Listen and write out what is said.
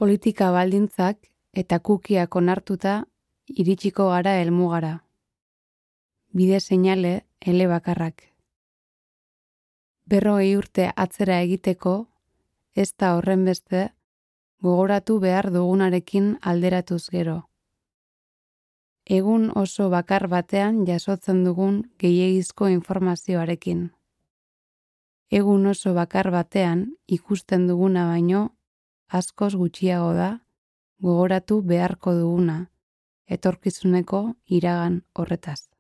Politika baldintzak eta kukiak onartuta iritsiko gara helmugara. Bide seinale elebakarrak. 40 urte atzera egiteko, ez da horrenbeste gogoratu behar dugunarekin alderatuz gero. Egun oso bakar batean jasotzen dugun gehiegizko informazioarekin. Egun oso bakar batean ikusten duguna baino askoz gutxiago da gogoratu beharko duguna etorkizuneko iragan horretaz.